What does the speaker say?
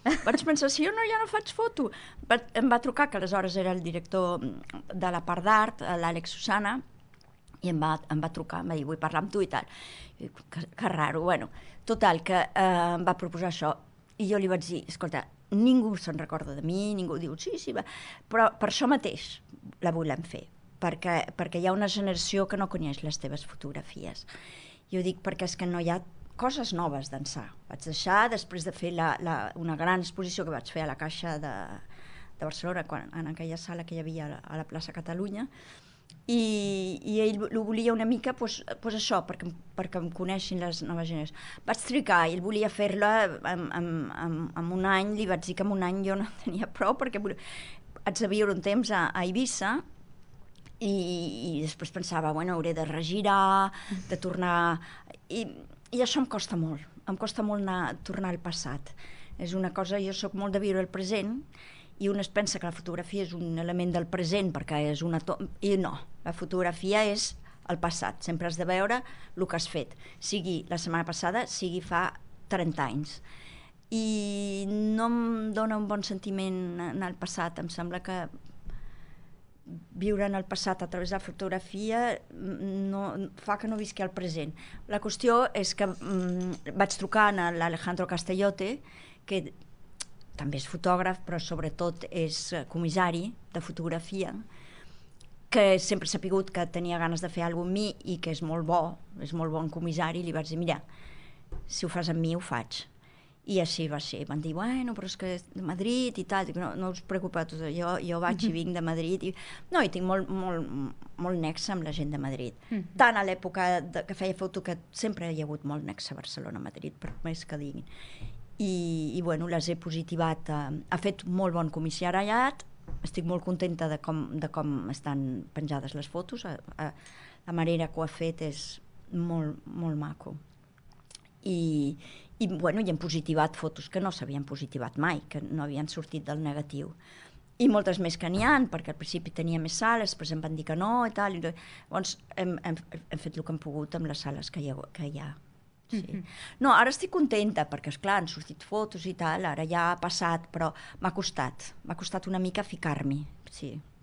Vaig pensar, si jo no, ja no faig foto. Em va trucar, que aleshores era el director de la part d'art, l'Àlex Susana, i em va trucar, em va dir, vull parlar amb tu i tal. I dic, que raro, bueno. Total, que em va proposar això. I jo li vaig dir, escolta, ningú se'n recorda de mi, ningú diu, sí, sí, va. Però per això mateix la volem fer, perquè hi ha una generació que no coneix les teves fotografies. Jo dic perquè és que no hi ha coses noves d'ençà. Vaig deixar, després de fer una gran exposició que vaig fer a la Caixa de Barcelona, en aquella sala que hi havia a la plaça Catalunya, i ell ho volia una mica això, perquè em coneixin les noves generacions. Vaig trigar, ell volia fer-la en un any, li vaig dir que en un any jo no tenia prou, perquè haig de viure un temps a Eivissa, i després pensava, bueno, hauré de regirar, de tornar... I això em costa molt tornar al passat. És una cosa, jo sóc molt de viure el present, i un es pensa que la fotografia és un element del present, perquè és i no, la fotografia és el passat, sempre has de veure el que has fet, sigui la setmana passada, sigui fa 30 anys. I no em dona un bon sentiment anar al passat, em sembla que viure en el passat a través de la fotografia fa que no visqui el present. La qüestió és que vaig trucar a l'Alejandro Castellote, que també és fotògraf, però sobretot és comissari de fotografia, que sempre s'ha sabut que tenia ganes de fer alguna cosa amb mi i que és molt bon comissari, i li vaig dir, mira, si ho fas amb mi ho faig. I així va ser. Van dir, bueno, però és que és de Madrid i tal. Dic, no us preocupeu, jo vaig i vinc de Madrid. No, i tinc molt nexe amb la gent de Madrid. Tant a l'època que feia foto, que sempre hi ha hagut molt nexe a Barcelona, a Madrid, per més que diguin. I bueno, les he positivat. Ha fet molt bon comissariat. Estic molt contenta de com estan penjades les fotos. La manera que ho ha fet és molt, molt maco. I hem positivat fotos que no s'havien positivat mai, que no havien sortit del negatiu. I moltes més que n'hi ha, perquè al principi tenia més sales, després em van dir que no i tal. Llavors hem fet el que hem pogut amb les sales que hi ha. Sí. No, ara estic contenta, perquè esclar, han sortit fotos i tal, ara ja ha passat, però m'ha costat una mica ficar-m'hi, sí.